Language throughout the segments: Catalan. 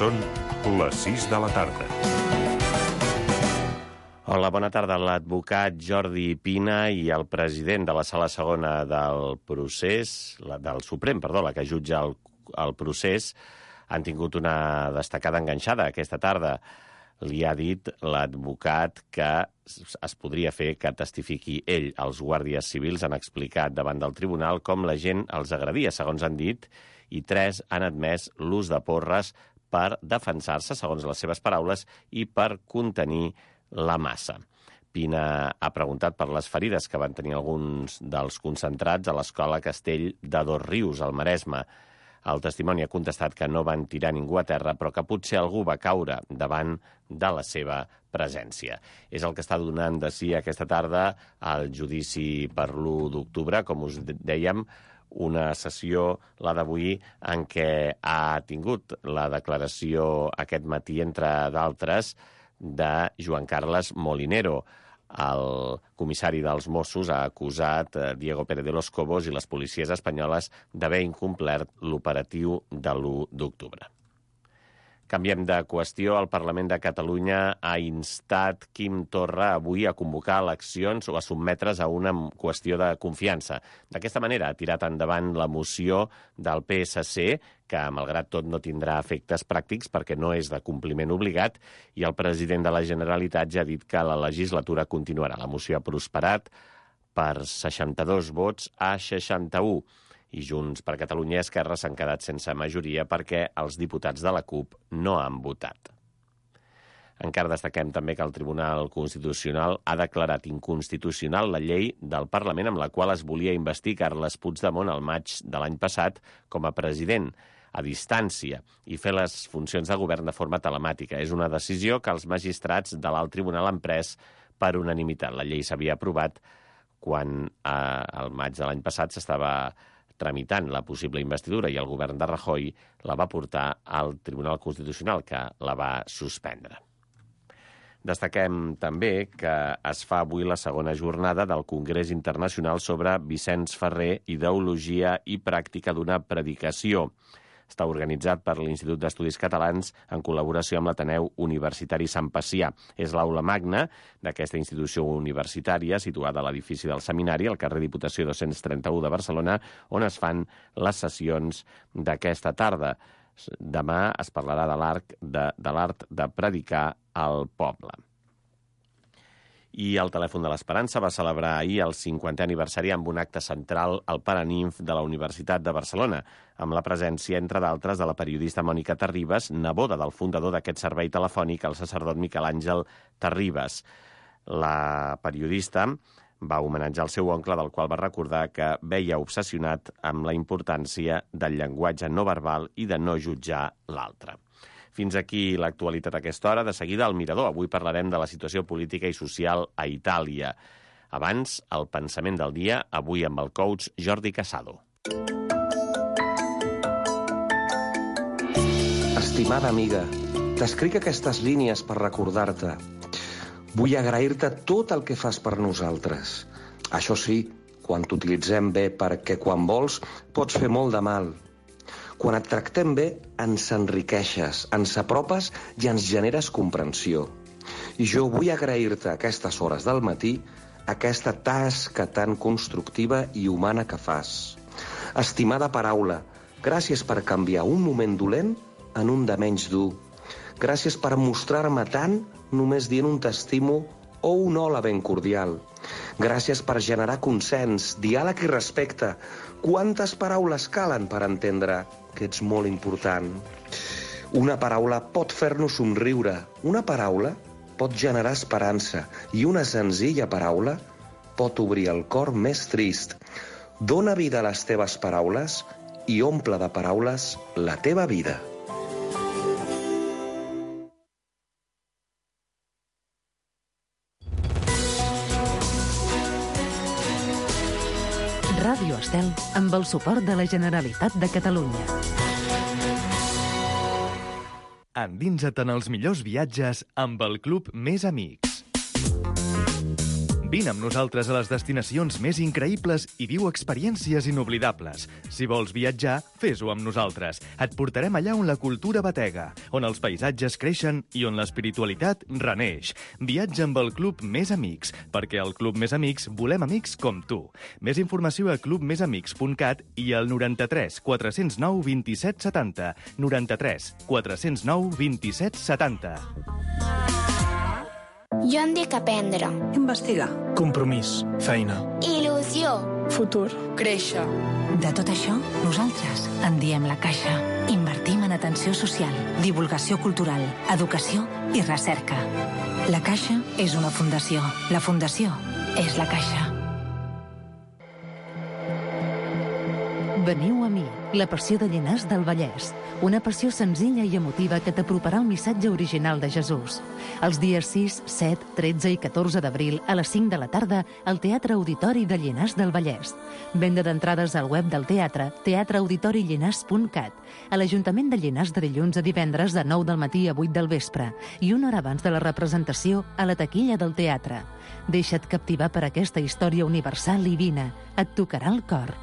Són les 6 de la tarda. Hola, bona tarda. L'advocat Jordi Pina i el president de la Sala Segona del Suprem, la que jutja el procés, han tingut una destacada enganxada aquesta tarda. Li ha dit l'advocat que es podria fer que testifiqui ell. Els guàrdies civils han explicat davant del tribunal com la gent els agradia, segons han dit, i 3 han admès l'ús de porres per defensar-se, segons les seves paraules, i per contenir la massa. Pina ha preguntat per les ferides que van tenir alguns dels concentrats a l'escola Castell de Dosrius, al Maresme. El testimoni ha contestat que no van tirar ningú a terra, però que potser algú va caure davant de la seva presència. És el que està donant de si aquesta tarda el judici per l'1 d'octubre, com us dèiem, una sessió, la d'avui, en què ha tingut la declaració aquest matí, entre d'altres, de Joan Carles Molinero. El comissari dels Mossos ha acusat Diego Pérez de los Cobos i les policies espanyoles d'haver incomplert l'operatiu de l'1 d'octubre. Canviem de qüestió. El Parlament de Catalunya ha instat Quim Torra avui a convocar eleccions o a sotmetre's a una qüestió de confiança. D'aquesta manera ha tirat endavant la moció del PSC, que, malgrat tot, no tindrà efectes pràctics perquè no és de compliment obligat, i el president de la Generalitat ja ha dit que la legislatura continuarà. La moció ha prosperat per 62 vots a 61. I Junts per Catalunya i Esquerra s'han quedat sense majoria perquè els diputats de la CUP no han votat. Encara destaquem també que el Tribunal Constitucional ha declarat inconstitucional la llei del Parlament amb la qual es volia investir Carles Puigdemont al maig de l'any passat com a president a distància i fer les funcions de govern de forma telemàtica. És una decisió que els magistrats de l'alt tribunal han pres per unanimitat. La llei s'havia aprovat quan al maig de l'any passat s'estava tramitant la possible investidura i el govern de Rajoy la va portar al Tribunal Constitucional, que la va suspendre. Destaquem també que es fa avui la segona jornada del Congrés Internacional sobre Vicenç Ferrer, ideologia i pràctica d'una predicació. Està organitzat per l'Institut d'Estudis Catalans en col·laboració amb l'Ateneu Universitari Sant Pacià. És l'aula magna d'aquesta institució universitària situada a l'edifici del Seminari, al carrer Diputació 231 de Barcelona, on es fan les sessions d'aquesta tarda. Demà es parlarà de l'art de predicar al poble. I el Telèfon de l'Esperança va celebrar ahir el 50è aniversari amb un acte central al Paraninf de la Universitat de Barcelona, amb la presència, entre d'altres, de la periodista Mònica Terribas, neboda del fundador d'aquest servei telefònic, el sacerdot Miquel Àngel Terribas. La periodista va homenatjar el seu oncle, del qual va recordar que veia obsessionat amb la importància del llenguatge no verbal i de no jutjar l'altre. Fins aquí l'actualitat a aquesta hora. De seguida, al Mirador. Avui parlarem de la situació política i social a Itàlia. Abans, el pensament del dia, avui amb el coach Jordi Casado. Estimada amiga, t'escric aquestes línies per recordar-te. Vull agrair-te tot el que fas per nosaltres. Això sí, quan t'utilitzem bé, perquè quan vols pots fer molt de mal. Quan et tractem bé, ens enriqueixes, ens apropes i ens generes comprensió. I jo vull agrair-te a aquestes hores del matí aquesta tasca tan constructiva i humana que fas. Estimada paraula, gràcies per canviar un moment dolent en un de menys dur. Gràcies per mostrar-me tant només dient un t'estimo o un hola ben cordial. Gràcies per generar consens, diàleg i respecte. Quantes paraules calen per entendre que ets molt important? Una paraula pot fer-nos somriure, una paraula pot generar esperança i una senzilla paraula pot obrir el cor més trist. Dóna vida a les teves paraules i omple de paraules la teva vida. Ràdio Estel, amb el suport de la Generalitat de Catalunya. Endinsa't en els millors viatges amb el Club Més Amics. Vine amb nosaltres a les destinacions més increïbles i viu experiències inoblidables. Si vols viatjar, fes-ho amb nosaltres. Et portarem allà on la cultura batega, on els paisatges creixen i on l'espiritualitat reneix. Viatja amb el Club Més Amics, perquè al Club Més Amics volem amics com tu. Més informació a clubmesamics.cat i al 93 409 27 70. 93 409 27 70. Jo em dic aprendre. Investigar. Compromís. Feina. Il·lusió. Futur. Créixer. De tot això, nosaltres en diem La Caixa. Invertim en atenció social, divulgació cultural, educació i recerca. La Caixa és una fundació. La fundació és La Caixa. Veniu a mi, la passió de Llinars del Vallès. Una passió senzilla i emotiva que t'aproparà el missatge original de Jesús. Els dies 6, 7, 13 i 14 d'abril a les 5 de la tarda al Teatre Auditori de Llinars del Vallès. Venda d'entrades al web del teatre, teatreauditorilllinars.cat. A l'Ajuntament de Llinars de dilluns a divendres de 9 del matí a 8 del vespre i una hora abans de la representació a la taquilla del teatre. Deixa't captivar per aquesta història universal i vine. Et tocarà el cor.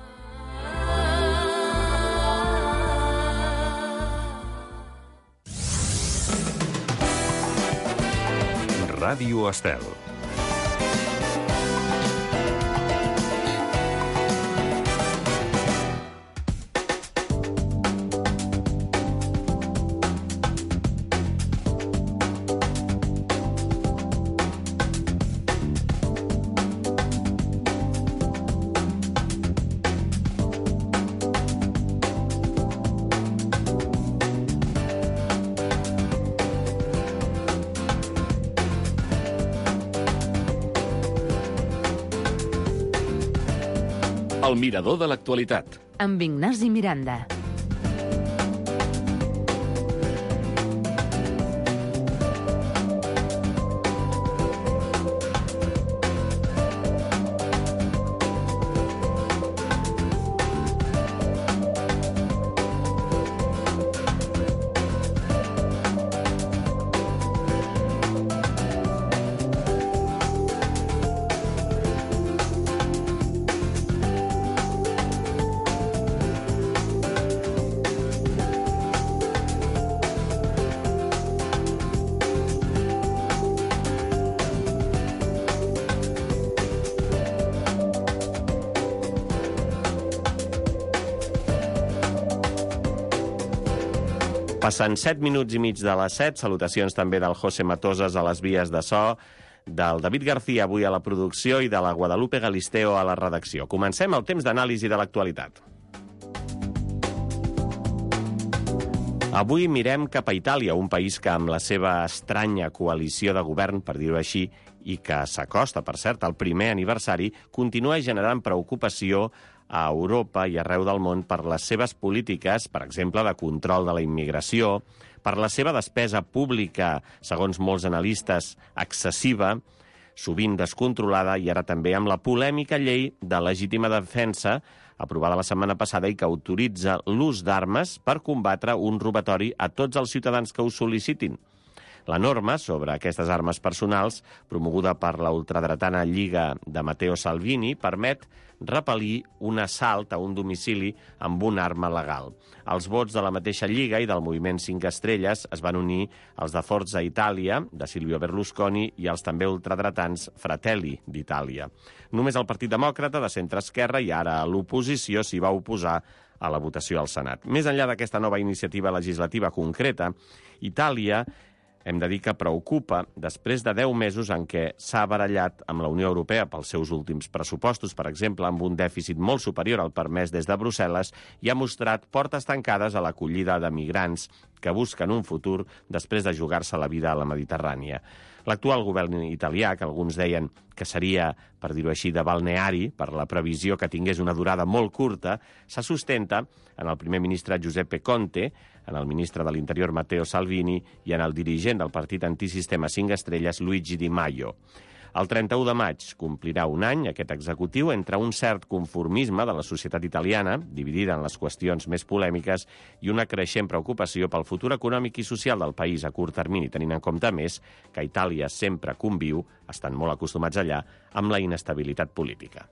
Ràdio Estel. El mirador de l'actualitat. Amb Ignasi Miranda. Passen 7 minuts i mig de les 7. Salutacions també del José Matosas a les vies de so, del David García avui a la producció i de la Guadalupe Galisteo a la redacció. Comencem el temps d'anàlisi de l'actualitat. Avui mirem cap a Itàlia, un país que amb la seva estranya coalició de govern, per dir-ho així, i que s'acosta, per cert, al primer aniversari, continua generant preocupació a Europa i arreu del món per les seves polítiques, per exemple, de control de la immigració, per la seva despesa pública, segons molts analistes, excessiva, sovint descontrolada, i ara també amb la polèmica llei de legítima defensa, aprovada la setmana passada i que autoritza l'ús d'armes per combatre un robatori a tots els ciutadans que ho sol·licitin. La norma sobre aquestes armes personals, promoguda per la ultradretana Lliga de Matteo Salvini, permet repel·lir un assalt a un domicili amb una arma legal. Els vots de la mateixa Lliga i del moviment 5 Estrelles es van unir als de Forza Italia, de Silvio Berlusconi, i els també ultradretans Fratelli d'Itàlia. Només el Partit Demòcrata, de centre-esquerra, i ara a l'oposició, s'hi va oposar a la votació al Senat. Més enllà d'aquesta nova iniciativa legislativa concreta, Itàlia hem de dir que preocupa després de 10 mesos en què s'ha barallat amb la Unió Europea pels seus últims pressupostos, per exemple, amb un dèficit molt superior al permès des de Brussel·les, i ha mostrat portes tancades a l'acollida de migrants que busquen un futur després de jugar-se la vida a la Mediterrània. L'actual govern italià, que alguns deien que seria, per dir-ho així, de balneari, per la previsió que tingués una durada molt curta, se sustenta en el primer ministre Giuseppe Conte, en el ministre de l'Interior Matteo Salvini i en el dirigent del partit antisistema 5 Estrelles Luigi Di Maio. El 31 de maig complirà un any aquest executiu entre un cert conformisme de la societat italiana, dividida en les qüestions més polèmiques, i una creixent preocupació pel futur econòmic i social del país a curt termini, tenint en compte, més, que Itàlia sempre conviu, estan molt acostumats allà, amb la inestabilitat política.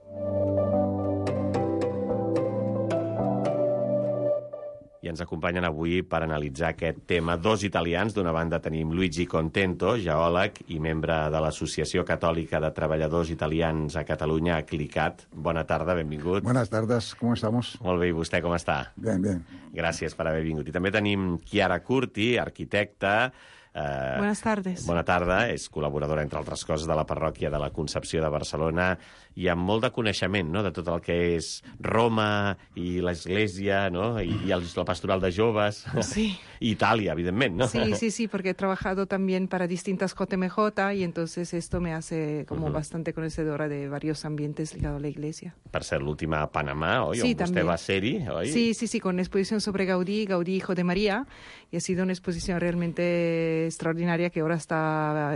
I ens acompanyen avui per analitzar aquest tema dos italians. D'una banda tenim Luigi Contento, geòleg i membre de l'Associació Catòlica de Treballadors Italians a Catalunya, CLICAT. Bona tarda, benvingut. Buenas tardes, ¿cómo estamos? Molt bé, i vostè com està? Bien, bien. Gràcies per haver vingut. I també tenim Chiara Curti, arquitecta. Buenas tardes. Bona tarda, és col·laboradora, entre altres coses, de la parròquia de la Concepció de Barcelona i amb molt de coneixement, no?, de tot el que és Roma i l'Església, no?, i la pastoral de joves. Sí. I Itàlia, evidentment, ¿no? Sí, porque he trabajado también para distintas JMJ y entonces esto me hace como bastante conocedora de varios ambientes ligados a la Iglesia. Per ser l'última a Panamà, oi? Sí, on vostè va ser-hi, oi? Sí, con una exposición sobre Gaudí, Hijo de María, y ha sido una exposición realmente extraordinaria que ahora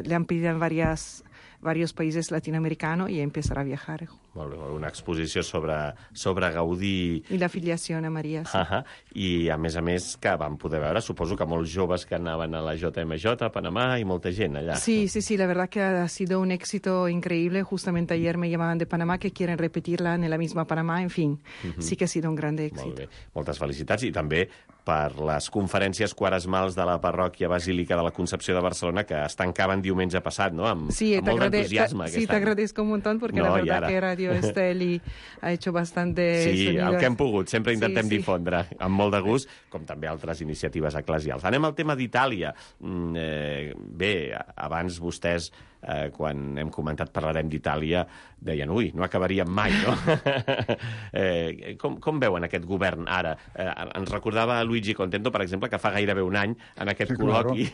le han pedido en varios países latinoamericanos y empezará a viajar. Molt bé, una exposició sobre Gaudí. I la filiació a Maria, sí. I, a més, que vam poder veure, suposo que molts joves que anaven a la JMJ, a Panamà, i molta gent allà. Sí, la verdad que ha sido un éxito increíble. Justamente ayer me llamaban de Panamá que quieren repetirla en la misma Panamá. En fin, sí que ha sido un gran èxit. Molt bé, moltes felicitats. I també per les conferències quaresmals de la parròquia Basílica de la Concepció de Barcelona, que es tancaven diumenge passat, no?, amb molt d'entusiasme. Sí, te agradezco un montón porque la verdad que Radio Esteli ha hecho bastante sonido. El que hem pogut, sempre intentem difondre amb molt de gust, com també altres iniciatives eclesials. Anem al tema d'Itàlia. Bé, abans vostès, quan hem comentat parlarem d'Itàlia, deien, no acabaríem mai, no? Com veuen aquest govern ara? Ens recordava Luigi Contento, per exemple, que fa gairebé un any, en aquest col·loqui,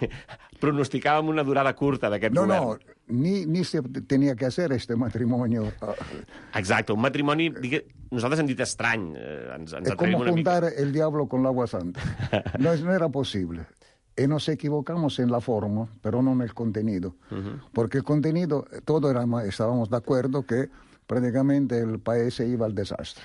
pronosticàvem una durada curta d'aquest govern. Ni se tenia que hacer este matrimonio. Exacte, un matrimoni, nosaltres hem dit estrany. Es como juntar el diablo con el agua santa. No era posible. Y nos equivocamos en la forma, pero no en el contenido. Porque el contenido, todos estábamos de acuerdo que prácticamente el país se iba al desastre.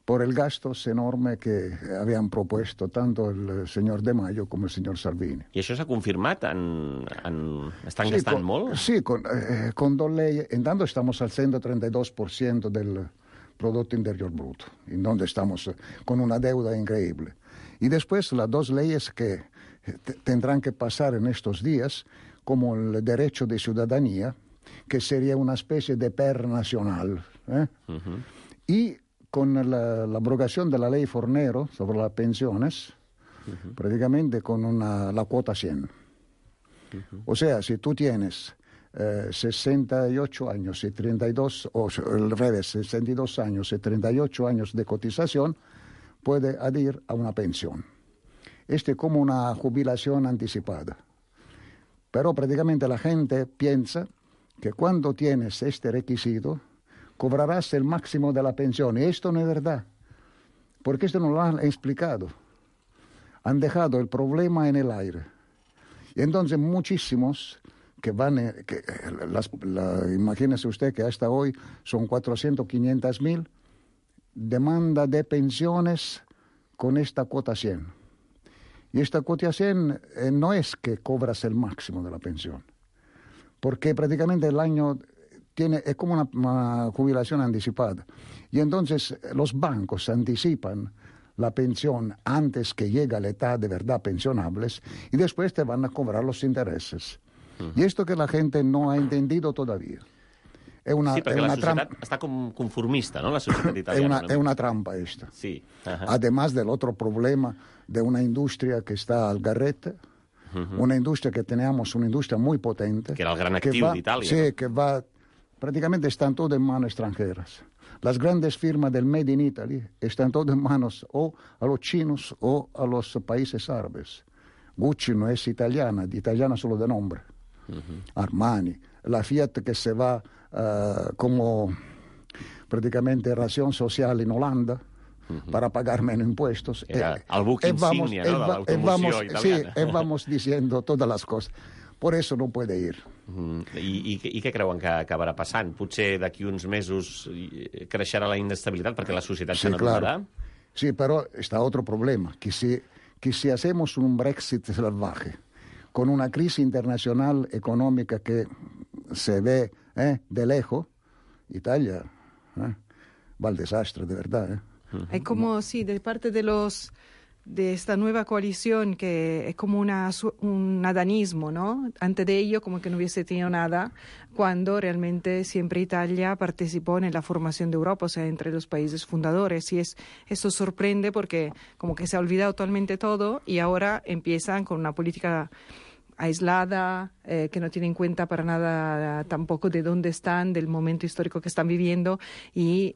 Por el gasto enorme que habían propuesto tanto el señor De Maio como el señor Salvini. I això s'ha confirmat? Estan gastant molt? Sí, con dos leyes. En tanto estamos al 132% del Producto Interior Bruto, en donde estamos con una deuda increíble. Y después las dos leyes que tendrán que pasar en estos días, como el derecho de ciudadanía, que sería una especie de PER nacional, y con la abrogación de la ley Fornero sobre las pensiones, prácticamente con la cuota 100. O sea, si tú tienes 68 años y 32, o al revés, 62 años y 38 años de cotización, puede adherir a una pensión. Es como una jubilación anticipada. Pero prácticamente la gente piensa que cuando tienes este requisito, cobrarás el máximo de la pensión. Y esto no es verdad, porque esto no lo han explicado. Han dejado el problema en el aire. Y entonces muchísimos que van, imagínese usted que hasta hoy son 400, 500 mil, demanda de pensiones con esta cuota 100. Y esta cuota 100 no es que cobras el máximo de la pensión, porque prácticamente el año es como una jubilación anticipada. Y entonces los bancos anticipan la pensión antes que llegue a la edad de verdad pensionables y después te van a cobrar los intereses. Y esto que la gente no ha entendido todavía. Sí, perquè la societat està com conformista, ¿no?, la societat italiana. Es una trampa esta. Sí. Además del otro problema de una industria que está al garrete, una industria que teníamos, una industria muy potente. Que era el gran actiu d'Itàlia. Sí, que va, prácticamente están todas en manos extranjeras. Las grandes firmas del Made in Italy están todas en manos o a los chinos o a los países árabes. Gucci no es italiana solo de nombre. Armani, la Fiat que se va como prácticamente ración social en Holanda para pagar menos impuestos. Era el buc insígnia, no?, de l'automoció italiana. Sí, vamos diciendo todas las cosas. Por eso no puede ir. I què creuen que acabarà passant? Potser d'aquí uns mesos creixerà la inestabilitat perquè la societat se n'adonarà? Claro. Sí, pero está otro problema, que si hacemos un Brexit salvaje, con una crisis internacional económica que se ve de lejos, Italia va al desastre, de verdad. Hay como, sí, de parte de esta nueva coalición que es como un adanismo, ¿no? Antes de ello como que no hubiese tenido nada, cuando realmente siempre Italia participó en la formación de Europa, o sea, entre los países fundadores. Y eso sorprende porque como que se ha olvidado totalmente todo y ahora empiezan con una política aislada, que no tiene en cuenta para nada tampoco de dónde están, del momento histórico que están viviendo y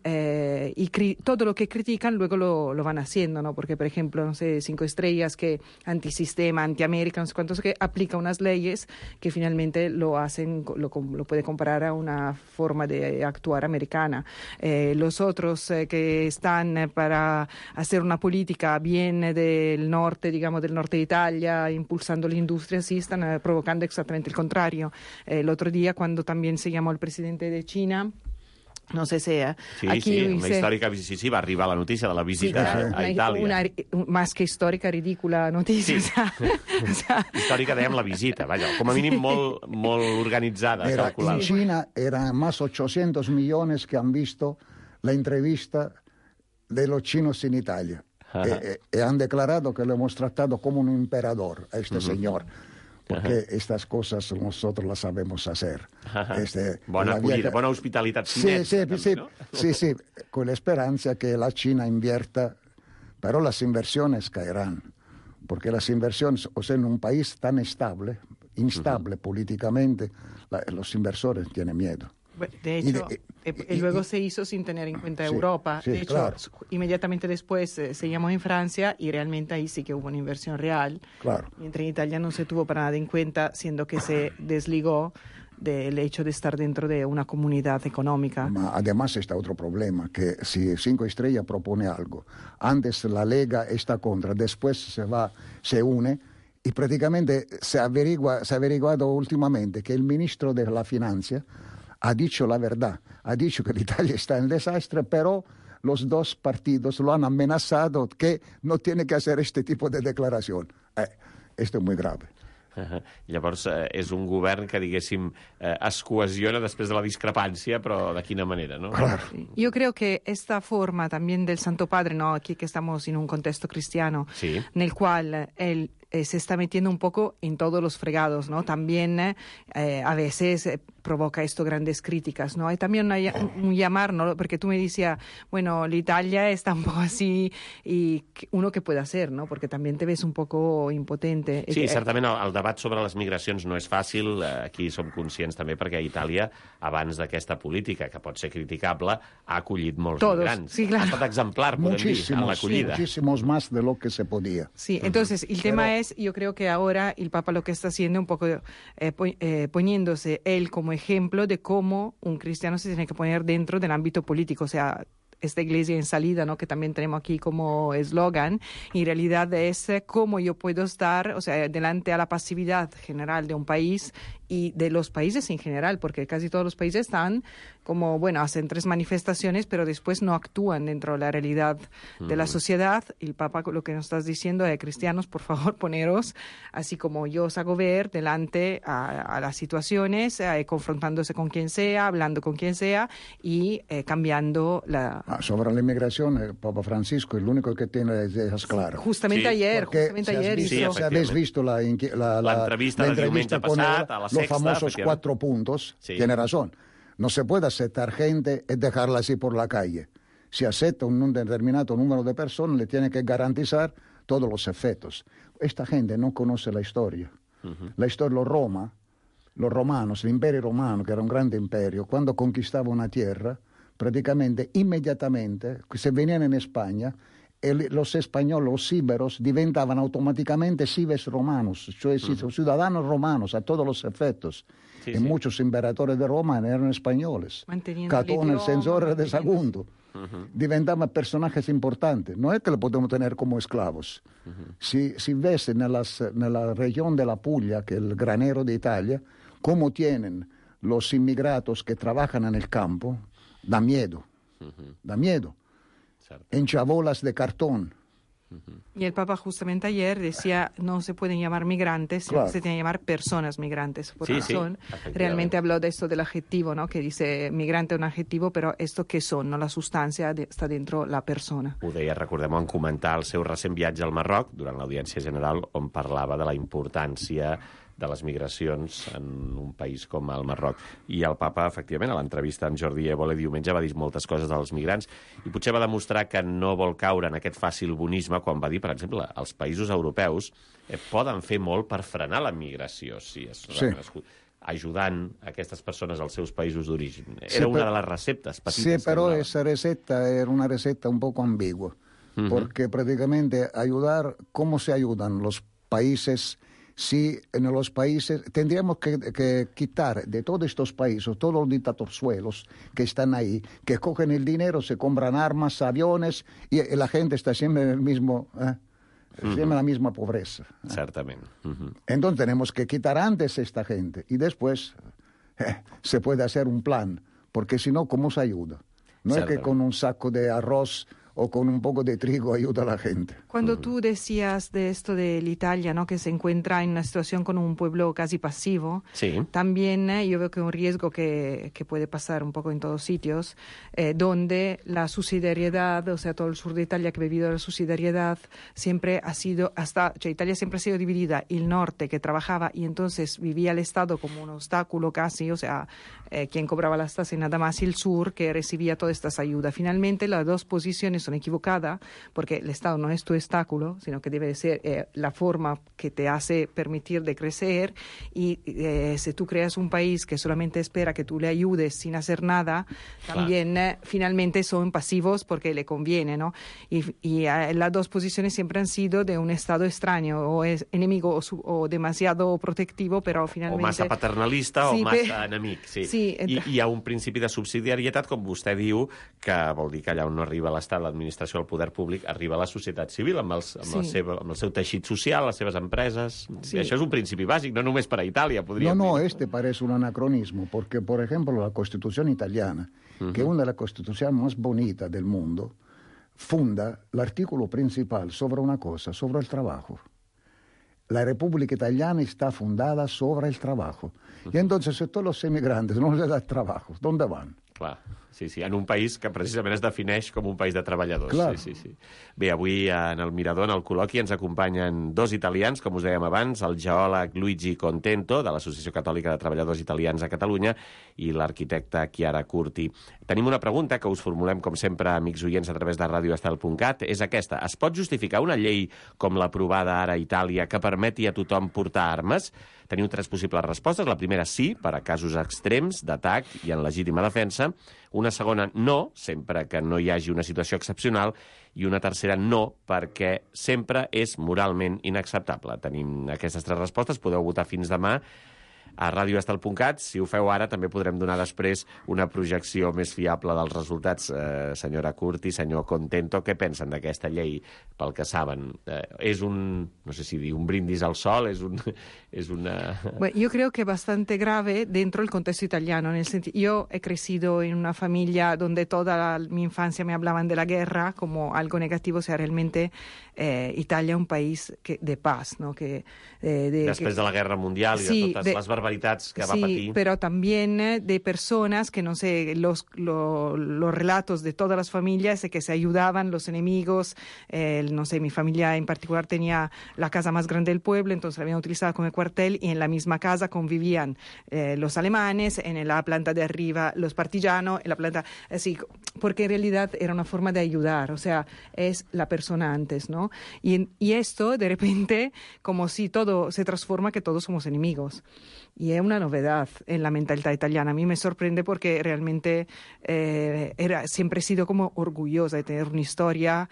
todo lo que critican luego lo van haciendo, ¿no? Porque, por ejemplo, no sé, 5 Estrellas, que antisistema, antiamérica, no sé cuántos, que aplica unas leyes que finalmente lo puede comparar a una forma de actuar americana. Los otros que están para hacer una política bien del norte, digamos, del norte de Italia, impulsando la industria, sí están provocando exactamente el contrario. El otro día, cuando también se llamó el presidente de China, no sé si una històrica sí, va arribar la notícia de la visita a Itàlia. Una más que histórica, ridícula noticia. Sí. Històrica, dèiem, la visita, vaja, com a mínim molt organitzada, calculada. En China eran más 800 millones que han visto la entrevista de los chinos en Italia. Han declarado que lo hemos tratado como un emperador a este señor. Porque estas cosas nosotros las sabemos hacer. Bona acollida, bona hospitalitat xinesa. Sí, con la esperanza que la China invierta, pero las inversiones caerán. Porque las inversiones, o sea, en un país tan instable políticamente, los inversores tienen miedo. De hecho, luego se hizo sin tener en cuenta Europa. De hecho, claro. Inmediatamente después se llamó en Francia y realmente ahí sí que hubo una inversión real. Claro. Mientras en Italia no se tuvo para nada en cuenta, siendo que se desligó del hecho de estar dentro de una comunidad económica. Además está otro problema, que si 5 Estrellas propone algo, antes la Lega está contra, después se une, y prácticamente se ha averiguado últimamente que el ministro de la Finanza ha dicho la verdad, ha dicho que Italia está en desastre, pero los dos partidos lo han amenazado que no tiene que hacer este tipo de declaración. Esto es muy grave. Llavors, és un govern que, diguéssim, es cohesiona després de la discrepància, però de quina manera, ¿no? Claro. Yo creo que esta forma también del Santo Padre, ¿no? Aquí que estamos en un contexto cristiano, sí, en el cual él se está metiendo un poco en todos los fregados, ¿no? También a veces provoca esto grandes críticas, ¿no? Hay también un llamar, ¿no? Porque tú me decías, bueno, la Italia está un poco así, y uno que puede hacer, ¿no? Porque también te ves un poco impotente. Sí, certament el debat sobre les migracions no és fàcil, aquí som conscients també perquè Itàlia, abans d'aquesta política, que pot ser criticable, ha acollit molts migrants. Sí, claro. Ha estat exemplar, podem dir, en l'acollida. Muchísimos más de lo que se podía. Sí, entonces el tema es, yo creo que ahora el Papa lo que está haciendo un poco poniéndose él como ejemplo de cómo un cristiano se tiene que poner dentro del ámbito político, o sea, esta iglesia en salida, ¿no? Que también tenemos aquí como eslogan, en realidad es cómo yo puedo estar, o sea, delante a la pasividad general de un país y de los países en general, porque casi todos los países están como, bueno, hacen 3 manifestaciones, pero después no actúan dentro de la realidad de la sociedad. El Papa lo que nos está diciendo es, cristianos, por favor, poneros, así como yo os hago ver, delante a las situaciones, confrontándose con quien sea, hablando con quien sea y cambiando la... Sobre la inmigración, el Papa Francisco es el único que tiene ideas claras. Justamente ayer hizo... Si habéis visto la entrevista del diumenge passat, a la Sexta, los famosos 4 puntos, tiene razón. No se puede aceptar gente y dejarla así por la calle. Si acepta un determinado número de personas, le tiene que garantizar todos los efectos. Esta gente no conoce la historia. La historia, los romanos, el imperio romano, que era un grande imperio, cuando conquistaba una tierra, prácticamente, inmediatamente, se venían en España, los españoles, los íberos, diventaban automáticamente cives romanos, cioè ciudadanos romanos a todos los efectos. Sí, y muchos emperadores de Roma eran españoles. Catón, el censor de Sagunto. diventamos personajes importantes. No es que lo podemos tener como esclavos. Si ves en la región de la Puglia, que es el granero de Italia, cómo tienen los inmigrantes que trabajan en el campo, da miedo. Da miedo. En chabolas de cartón. Y el Papa justamente ayer decía no se pueden llamar migrantes, sino que se tienen que llamar personas migrantes, porque realmente habló de esto del adjetivo, ¿no? Que dice migrante es un adjetivo, però esto què són, no? La substància està dentro la persona. Ho deia, recordem, en comentar el seu recent viatge al Marroc, durant l'audiència general, on parlava de la importància de les migracions en un país com el Marroc. I el papa, efectivament, a l'entrevista amb Jordi Évole diumenge va dir moltes coses dels migrants i potser va demostrar que no vol caure en aquest fàcil bonisme quan va dir, per exemple, els països europeus poden fer molt per frenar la migració, si és ajudant aquestes persones als seus països d'origen. Era una de les receptes petites. Sí, però esa receta era una receta un poco ambigua, porque prácticamente ayudar, ¿cómo se ayudan los países? Si en los países tendríamos que quitar de todos estos países, todos los dictatorzuelos que están ahí, que cogen el dinero, se compran armas, aviones, y la gente está siempre en el mismo, siempre en la misma pobreza. Certament. Entonces tenemos que quitar antes a esta gente y después se puede hacer un plan, porque si no, ¿cómo se ayuda? No es que con un saco de arroz o con un poco de trigo ayuda a la gente. Cuando tú decías de esto de Italia, ¿no? Que se encuentra en una situación con un pueblo casi pasivo, también yo veo que un riesgo que puede pasar un poco en todos sitios, donde la subsidiariedad, o sea, todo el sur de Italia que ha vivido la subsidiariedad, siempre ha sido, Italia siempre ha sido dividida, el norte que trabajaba y entonces vivía el Estado como un obstáculo casi, o sea, quien cobraba las tasas y nada más, y el sur que recibía todas estas ayudas. Finalmente, las dos posiciones son equivocadas, porque el Estado no es tu obstáculo, sino que debe ser la forma que te hace permitir de crecer, y si tú creas un país que solamente espera que tú le ayudes sin hacer nada, también finalmente son pasivos porque le conviene, ¿no? Y las dos posiciones siempre han sido de un Estado extraño, o es enemigo o demasiado protectivo, però finalmente... O massa paternalista o massa enemic, sí. I hi ha un principi de subsidiarietat, com vostè diu, que vol dir que allà on no arriba l'Estat, l'administració, el poder públic, arriba la societat civil amb el seu teixit social, les seves empreses. Això és un principi bàsic, no només per a Itàlia, podríem dir. No, este parece un anacronismo, porque, por ejemplo, la Constitución italiana, que es una de las constituciones más bonitas del mundo, funda l'artículo principal sobre una cosa, sobre el trabajo. La República Italiana está fundada sobre el trabajo. Y entonces, si todos los emigrantes no les dan trabajo, ¿dónde van? Clar, sí, en un país que precisament es defineix com un país de treballadors. Clar. Sí. Bé, avui en el Mirador, en el col·loqui, ens acompanyen dos italians, com us dèiem abans, el geòleg Luigi Contento, de l'Associació Catòlica de Treballadors Italians a Catalunya, i l'arquitecta Chiara Curti. Tenim una pregunta que us formulem, com sempre, amics oients, a través de radioestel.cat. És aquesta. Es pot justificar una llei com l'aprovada ara a Itàlia que permeti a tothom portar armes? Teniu tres possibles respostes. La primera, sí, per a casos extrems d'atac i en legítima defensa. Una segona, no, sempre que no hi hagi una situació excepcional. I una tercera, no, perquè sempre és moralment inacceptable. Tenim aquestes tres respostes. Podeu votar fins demà a radioestel.cat. Si ho feu ara, també podrem donar després una projecció més fiable dels resultats. Senyora Curti, senyor Contento, què pensen d'aquesta llei, pel que saben? És un, no sé si dir, un brindis al sol, és una... Bueno, yo creo que bastante grave dentro del contexto italiano. Yo he crecido en una familia donde toda mi infancia me hablaban de la guerra como algo negativo, o sea, realmente Italia es un país de paz, ¿no? Després de la Guerra Mundial i de totes les barbaritats que va patir. Sí, pero también de personas que, no sé, los relatos de todas las familias que se ayudaban, los enemigos, no sé, mi familia en particular tenía la casa más grande del pueblo, entonces la habían utilizado como cuartel, y en la misma casa convivían los alemanes, en la planta de arriba los partisanos, en la planta, así, porque en realidad era una forma de ayudar, o sea, es la persona antes, ¿no? Y esto, de repente, como si todo se transforma, que todos somos enemigos. y es una novedad en la mentalidad italiana. A mí me sorprende porque realmente siempre he sido como orgullosa de tener una historia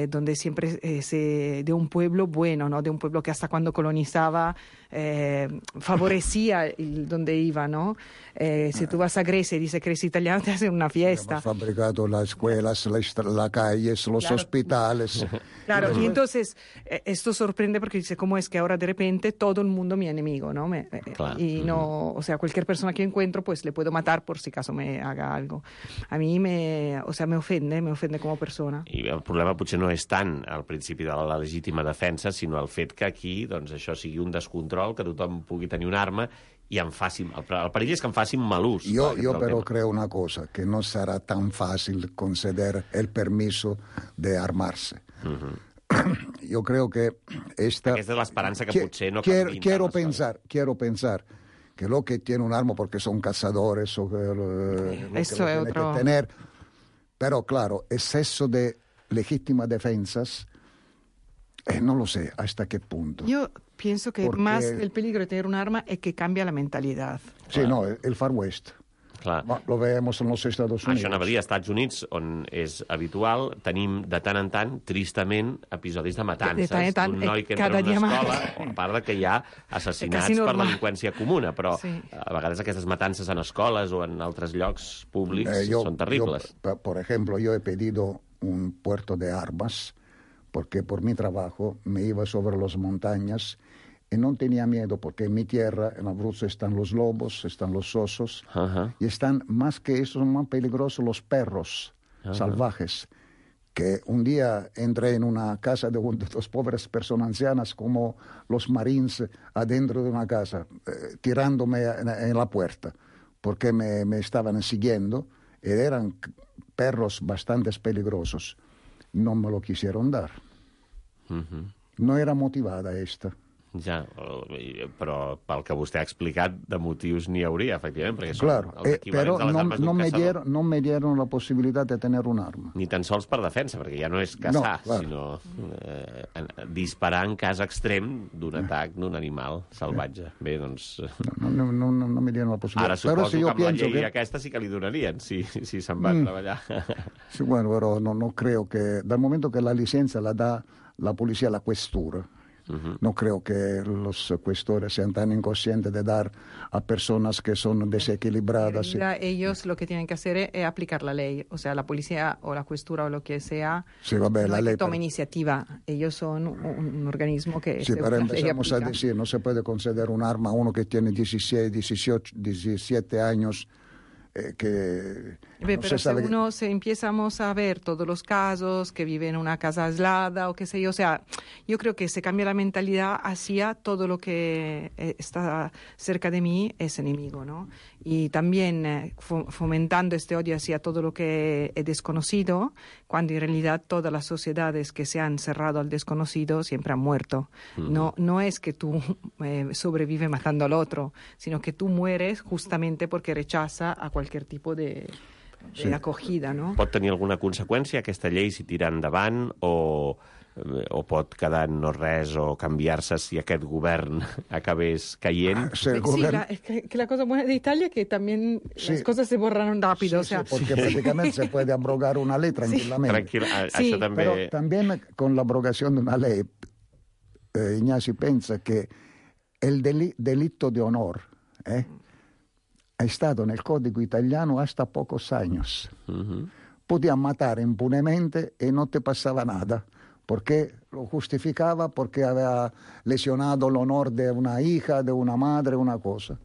donde siempre de un pueblo bueno, ¿no? De un pueblo que hasta cuando colonizaba favorecía donde iba, ¿no? Si tú vas a Grecia y dices que eres italiano, te hacen una fiesta. Hemos fabricado las escuelas, las calles, los hospitales. Claro, y entonces esto sorprende porque dice, ¿cómo es que ahora de repente todo el mundo mi enemigo, ¿no? Y no, o sea, cualquier persona que encuentro, pues le puedo matar por si acaso me haga algo. A mí me ofende como persona. I el problema potser no és tant al principi de la legítima defensa, sinó el fet que aquí doncs, això sigui un descontrol, que tothom pugui tenir una arma y el perill es que en facin mal ús. Yo pero creo una cosa, que no será tan fácil conceder el permiso de armarse. Yo creo que Aquesta és l'esperança que potser no canviïn. Quiero pensar que lo que tiene un arma porque son cazadores o lo Eso es otro. que tener, pero claro, exceso de legítimas defensas, no lo sé hasta qué punto. Yo pienso que más el peligro de tener un arma es que cambia la mentalidad. Sí, no, el Far West. Clar. Lo vemos en los Estados Unidos. Això anava a dir, als Estats Units, on és habitual, tenim de tant en tant, tristament, episodis de matances. Un noi que entra en una escola, a part de que hi ha assassinats per delinqüència comuna, però a vegades aquestes matances en escoles o en altres llocs públics són terribles. Por ejemplo, yo he pedido un puerto de armas porque por mi trabajo me iba sobre las montañas y no tenía miedo porque en mi tierra, en Abruzzo, están los lobos, están los osos y están más que eso, son más peligrosos los perros salvajes. Que un día entré en una casa de dos pobres personas ancianas como los marines adentro de una casa, tirándome en la puerta porque me estaban siguiendo y eran perros bastante peligrosos. No me lo quisieron dar. No era motivada esta. Ja, però pel que vostè ha explicat, de motius n'hi hauria, efectivament, perquè són claro, els equivalents de les armes d'un caçador. No me dieron la posibilidad de tener un arma. Ni tan sols per defensa, perquè ja no és caçar, sinó disparar en cas extrem d'un atac d'un animal salvatge. Bé, doncs... No me dieron la posibilidad. Ara suposo que amb la llei aquesta sí que li donarien, si se'n va a treballar. Sí, bueno, pero no creo que... Dal momento que la licencia la da la policía, la questura, no creo que los cuestores sean tan inconscientes de dar a personas que son desequilibradas. Ellos lo que tienen que hacer es aplicar la ley. O sea, la policía o la questura o lo que sea, la ley toma iniciativa. Ellos son un organismo que... Sí, pero empezamos a decir, no se puede conceder un arma a uno que tiene 16, 18, 17 años... pero si empezamos a ver todos los casos que viven en una casa aislada o qué sé yo, o sea, yo creo que se cambia la mentalidad hacia todo lo que está cerca de mí es enemigo, ¿no? Y también fomentando este odio hacia todo lo que es desconocido, cuando en realidad todas las sociedades que se han cerrado al desconocido siempre han muerto. No es que tú sobrevives matando al otro, sino que tú mueres justamente porque rechaza a cualquier tipo de acogida, no? Pot tenir alguna conseqüència aquesta llei si tira endavant o pot quedar en no res o canviar-se si aquest govern acabés caient? Que la cosa buena de Italia es que también las cosas se borran rápido. Sí, porque prácticamente se puede abrogar una ley tranquilamente. Això també... Pero también con la abrogación de una ley, Ignacio piensa que el delito de honor è stato nel codice italiano hasta pocos años. Podían matar impunemente y no te pasaba nada, porque lo justificaba porque había lesionado el honor de una hija, de una madre, una cosa.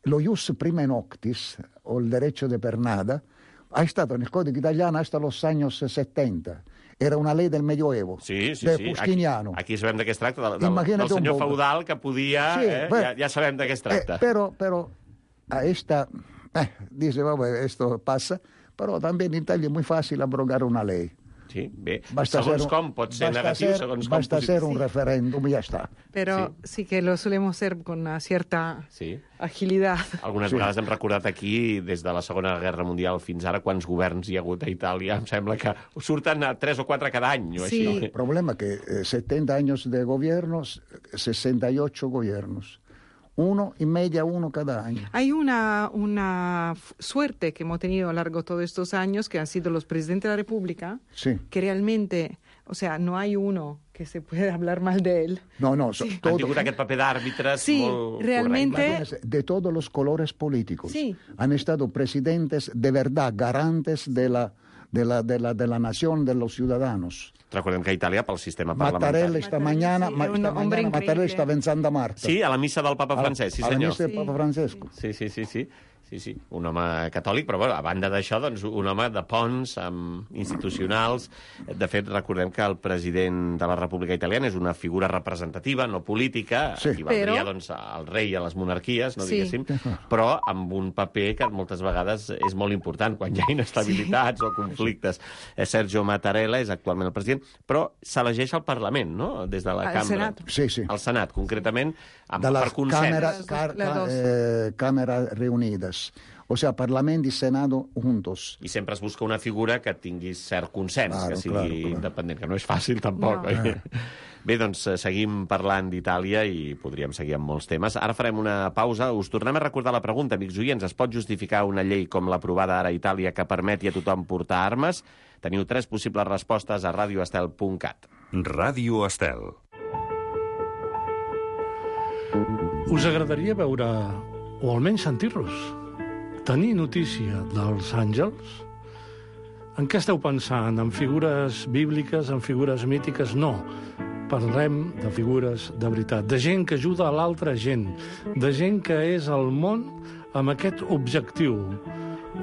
Lo ius prima noctis, o el derecho de pernada, ha stato nel codice italiano hasta los años 70. Era una ley del Medioevo, de Justiniano. Aquí sabem de què es tracta, del senyor feudal que podia... Ja sabem de què es tracta. Pero a esta... dice, esto pasa, pero también en Italia es muy fácil abrogar una ley. Sí, bé, segons com pot ser negatiu, segons com basta hacer un referéndum y ya está. Pero sí que lo solemos hacer con una cierta agilidad. Algunes vegades hem recordat aquí, des de la Segona Guerra Mundial fins ara, quants governs hi ha hagut a Itàlia. Em sembla que surten 3 o 4 cada any. O sí, així. El problema es que 70 años de gobiernos, 68 gobiernos. 1 y media, 1 cada año. Hay una suerte que hemos tenido a lo largo de todos estos años, que han sido los presidentes de la República, sí, que realmente, o sea, no hay uno que se puede hablar mal de él. No, sí. Han tingut aquest paper d'àrbitres sí, molt realmente, de todos los colores políticos. Sí. Han estado presidentes de verdad, garantes de la nación, de los ciudadanos. Recordem que a Itàlia, pel sistema parlamentari... Mattarella esta mañana, hombre Mattarella estava en Santa Marta. Sí, a la missa del papa Francesc, sí A la senyor. missa del Papa Francesco. Sí, un home catòlic, però bueno, a banda d'això, doncs, un home de ponts institucionals. De fet, recordem que el president de la República Italiana és una figura representativa, no política, sí, equivaldria doncs, al rei i a les monarquies, no diguéssim, però amb un paper que moltes vegades és molt important quan hi ha inestabilitats o conflictes. Sergio Mattarella és actualment el president, però s'elegeix al Parlament, no?, des de la cambra. Senat. Sí. Al Senat, concretament, de per consens. Cámaras reunidas. O sea, Parlamento y Senado juntos. I sempre es busca una figura que tingui cert consens, claro, que sigui independent, que no és fàcil tampoc. No. Bé, doncs seguim parlant d'Itàlia i podríem seguir amb molts temes. Ara farem una pausa. Us tornem a recordar la pregunta, amics oients. Es pot justificar una llei com l'aprovada ara a Itàlia que permeti a tothom portar armes? Teniu 3 possibles respostes a radioestel.cat. Ràdio Estel. Us agradaria veure, o almenys sentir-los, tenir notícia dels àngels? En què esteu pensant? En figures bíbliques, en figures mítiques? No. Parlem de figures de veritat, de gent que ajuda a l'altra gent, de gent que és al món amb aquest objectiu,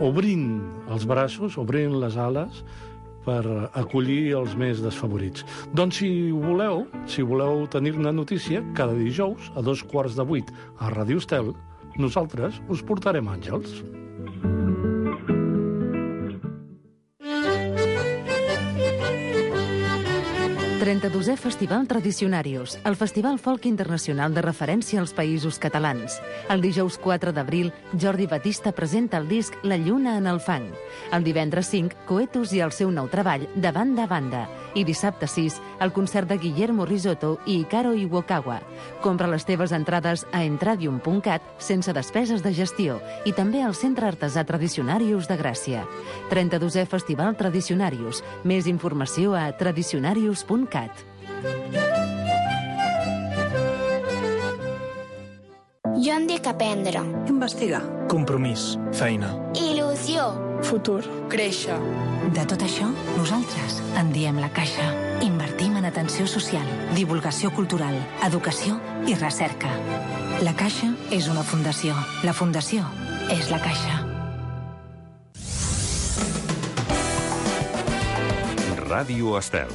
obrint els braços, obrint les ales, per acollir els més desfavorits. Doncs si voleu tenir-ne notícia, cada dijous a 7:15 a Ràdio Estel, nosaltres us portarem àngels. «32è Festival Tradicionarius, el festival folk internacional de referència als països catalans. El dijous 4 d'abril, Jordi Batista presenta el disc La lluna en el fang. El divendres 5, Coetus i el seu nou treball, De banda a banda. I dissabte 6, el concert de Guillermo Risotto i Hikaru Iwakawa. Compra les teves entrades a entradium.cat sense despeses de gestió i també al Centre Artesà Tradicionarius de Gràcia. 32è Festival Tradicionarius. Més informació a tradicionarius.cat. Jo em dic aprendre. Investigar. Compromís. Feina. Il·lusió. Futur. Créixer. De tot això, nosaltres en diem La Caixa. Invertim en atenció social, divulgació cultural, educació i recerca. La Caixa és una fundació. La fundació és La Caixa. Ràdio Estel.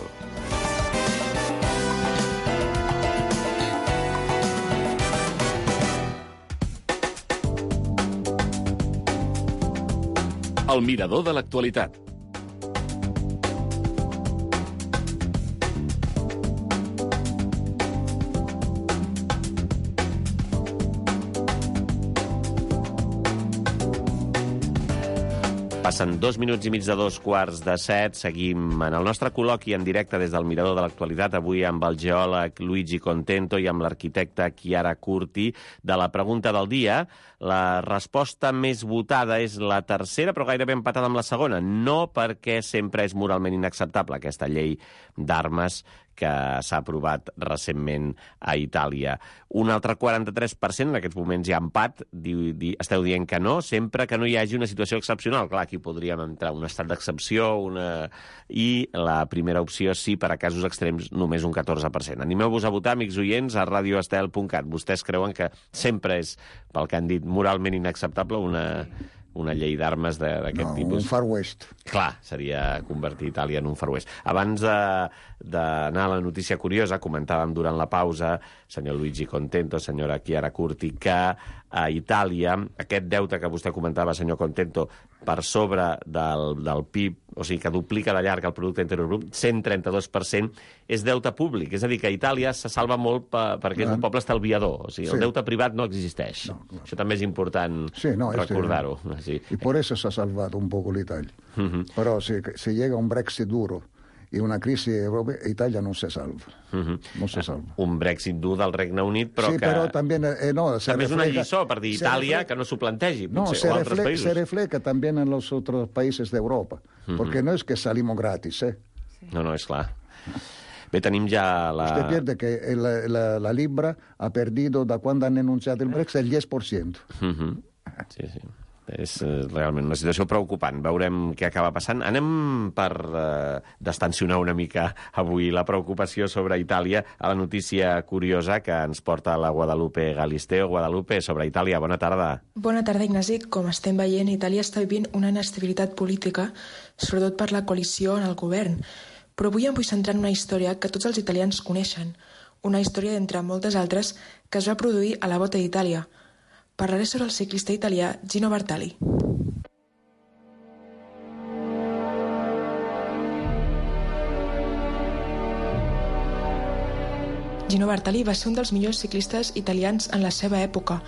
El mirador de l'actualitat. Passen 2 minuts i mig de 7:15. Seguim en el nostre col·loqui en directe des del Mirador de l'Actualitat, avui amb el geòleg Luigi Contento i amb l'arquitecta Chiara Curti. De la pregunta del dia, la resposta més votada és la tercera, però gairebé empatada amb la segona. No perquè sempre és moralment inacceptable aquesta llei d'armes que s'ha aprovat recentment a Itàlia. Un altre 43%, en aquests moments hi ha empat, esteu dient que no, sempre que no hi hagi una situació excepcional. Clar, aquí podríem entrar un estat d'excepció, i la primera opció sí, per a casos extrems, només un 14%. Animeu-vos a votar, amics oients, a radioestel.cat. Vostès creuen que sempre és, pel que han dit, moralment inacceptable una llei d'armes d'aquest tipus? Un Far West. Clar, seria convertir Itàlia en un Far West. Abans d'anar a la notícia curiosa, comentàvem durant la pausa, senyor Luigi Contento, senyora Chiara Curti, que a Itàlia aquest deute que vostè comentava, senyor Contento, per sobre del PIB, o sigui, que duplica de llarg el producte interior brut, 132%, és deute públic. És a dir, que a Itàlia se salva molt perquè és un poble estalviador. O sigui, el deute privat no existeix. No, claro. Això també és important recordar-ho. Sí. Y por eso se ha salvado un poco l'Italia. Pero si llega un Brexit duro in una crisi europea, Italia non si salva. Non si salva. Un Brexit dur del Regne Unit, però sí, que... però també, també és una lliçó per dir Itàlia que no s'ho plantegi, potser, o altres països. Se refleja també en els altres països d'Europa, perquè no és que salimos gratis, No, és clar. Bé, tenim ja la... Usted pierde que la Libra ha perdido, da quando han anunciato il Brexit, el 10%. Sí. És realment una situació preocupant. Veurem què acaba passant. Anem per distensionar una mica avui la preocupació sobre Itàlia a la notícia curiosa que ens porta la Guadalupe Galisteo. Guadalupe, sobre Itàlia, bona tarda. Bona tarda, Ignasi. Com estem veient, Itàlia està vivint una inestabilitat política, sobretot per la coalició en el govern. Però avui em vull centrar en una història que tots els italians coneixen. Una història d'entre moltes altres que es va produir a la Volta d'Itàlia. Parlaré sobre el ciclista italià Gino Bartali. Gino Bartali va ser un dels millors ciclistes italians en la seva època.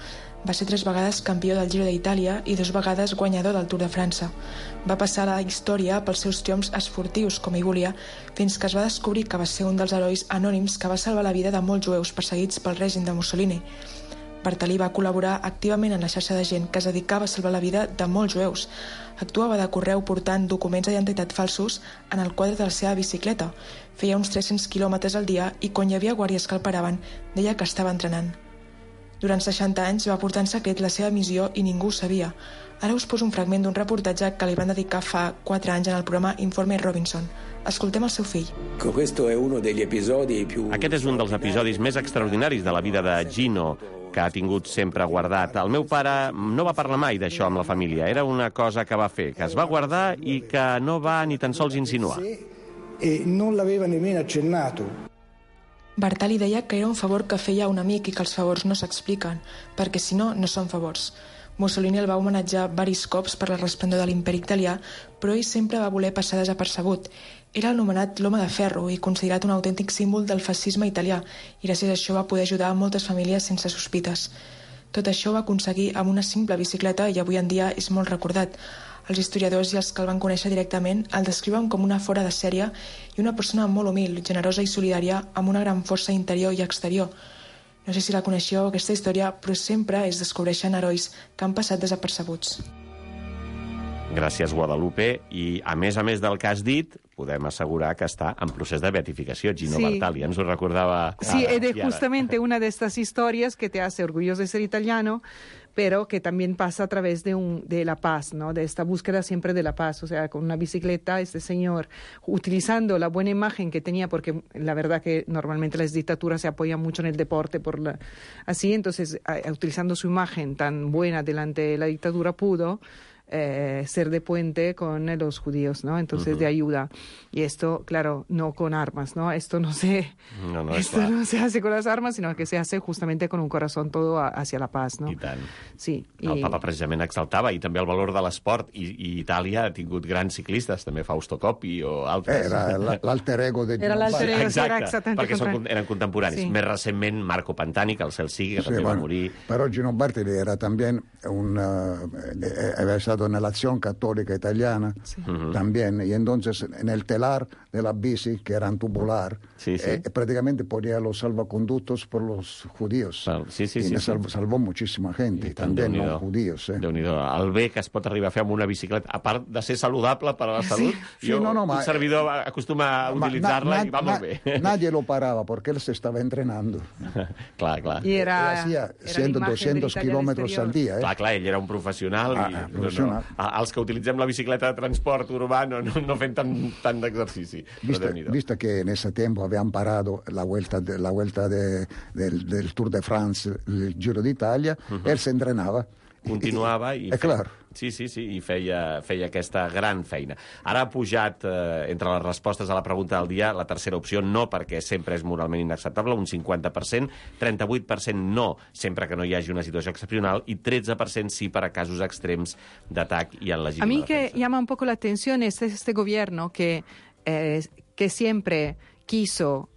Va ser 3 vegades campió del Giro d'Itàlia i 2 vegades guanyador del Tour de França. Va passar a la història pels seus triomfs esportius, com ell volia, fins que es va descobrir que va ser un dels herois anònims que va salvar la vida de molts jueus perseguits pel règim de Mussolini. Bartali va col·laborar activament en la xarxa de gent que es dedicava a salvar la vida de molts jueus. Actuava de correu portant documents d'identitat falsos en el quadre de la seva bicicleta. Feia uns 300 quilòmetres al dia i quan hi havia guàrdies que el paraven, deia que estava entrenant. Durant 60 anys va portar en secret la seva missió i ningú ho sabia. Ara us poso un fragment d'un reportatge que li van dedicar fa 4 anys en el programa Informe Robinson. Escoltem el seu fill. Aquest és un dels episodis més extraordinaris de la vida de Gino, que ha tingut sempre guardat. El meu pare no va parlar mai d'això amb la família. Era una cosa que va fer, que es va guardar i que no va ni tan sols insinuar. Non l'aveva nemmeno accennato. Bartali deia que era un favor que feia un amic i que els favors no s'expliquen, perquè si no, no són favors. Mussolini el va homenatjar varis cops per la resplendor de l'imperi italià, però ell sempre va voler passar desapercebut. Era anomenat l'home de ferro i considerat un autèntic símbol del fascisme italià, i gràcies a això va poder ajudar a moltes famílies sense sospites. Tot això ho va aconseguir amb una simple bicicleta i avui en dia és molt recordat. Els historiadors i els que el van conèixer directament el descriuen com una fora de sèrie i una persona molt humil, generosa i solidària amb una gran força interior i exterior. No sé si la coneixeu, aquesta història, però sempre es descobreixen herois que han passat desapercebuts. Gràcies, Guadalupe. I, a més del que has dit, podem assegurar que està en procés de beatificació. Gino Bartali, ens ho recordava... Sí, es justamente una de estas historias que te hace orgulloso de ser italiano, pero que también pasa a través de la paz, ¿no? De esta búsqueda siempre de la paz. O sea, con una bicicleta, este señor, utilizando la buena imagen que tenía, porque la verdad que normalmente las dictaduras se apoyan mucho en el deporte, así, entonces, utilizando su imagen tan buena delante de la dictadura, pudo ser de puente con los judíos, ¿no? Entonces, de ayuda. Y esto, claro, no con armas, ¿no? Esto no se hace con las armas, sino que se hace justamente con un corazón todo hacia la paz, ¿no? I tant. Sí. El papa precisament exaltava, i també el valor de l'esport, i Itàlia ha tingut grans ciclistes, també Fausto Coppi o altres. Era l'alter ego de Era l'alter ego, exacte, perquè eren contemporanis. Més recentment, Marco Pantani, que el cel sigui, que també va morir. Però Gino Bartali era també había estado en la Acción Católica Italiana también, y entonces en el telar de la bici, que eran tubular, prácticamente ponía los salvaconductos por los judíos. Salvó muchísima gente, y también no judíos. Déu-n'hi-do. El bé que es pot arribar a fer amb una bicicleta, a part de ser saludable per a la salut, un servidor acostuma a utilitzar-la i va molt bé. Nadie lo paraba porque él se estaba entrenando. Clar. Y hacía 100, 200 kilómetros al día. Clar, ell era un professional. Els que utilitzem la bicicleta de transport urbà no fem tant d'exercici. Vista que en ese tiempo habían parado la vuelta del Tour de France, el Giro d'Italia, él se entrenava. Continuava i i feia aquesta gran feina. Ara ha pujat, entre les respostes a la pregunta del dia, la tercera opció, no perquè sempre és moralment inacceptable, un 50%, 38% no, sempre que no hi hagi una situació excepcional, i 13% sí per a casos extrems d'atac i en legítima defensa. A mí que llama un poco la atención es este gobierno que siempre quiso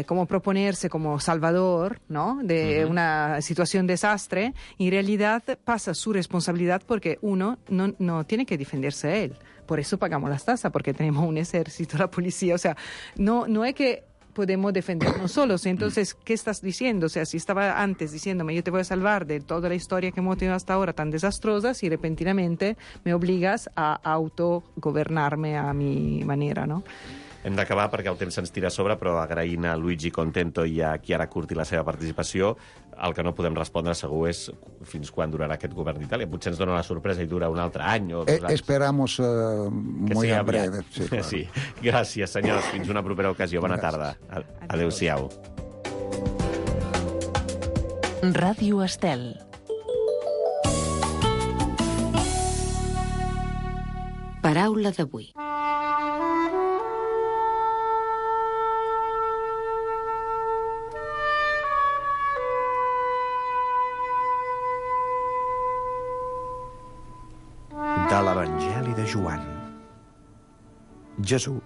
como proponerse como salvador, ¿no? De una situación desastre, y en realidad pasa su responsabilidad porque uno no tiene que defenderse él, por eso pagamos las tasas, porque tenemos un ejército, la policía. O sea, no es que podemos defendernos solos. Entonces, ¿qué estás diciendo? O sea, si estaba antes diciéndome, yo te voy a salvar de toda la historia que hemos tenido hasta ahora tan desastrosa, si repentinamente me obligas a autogobernarme a mi manera, ¿no? Hem d'acabar perquè el temps se'ns tira a sobre, però agraint a Luigi Contento i a Chiara Curti la seva participació, el que no podem respondre segur és fins quan durarà aquest govern d'Itàlia. Potser ens dona la sorpresa i dura un altre any o 2 anys. Esperamos muy en breve. Sí, claro. Sí. Gràcies, senyors. Fins una propera ocasió. Bona tarda. Adéu-siau. Ràdio Estel. Paraula d'avui. De l'Evangeli de Joan. Jesús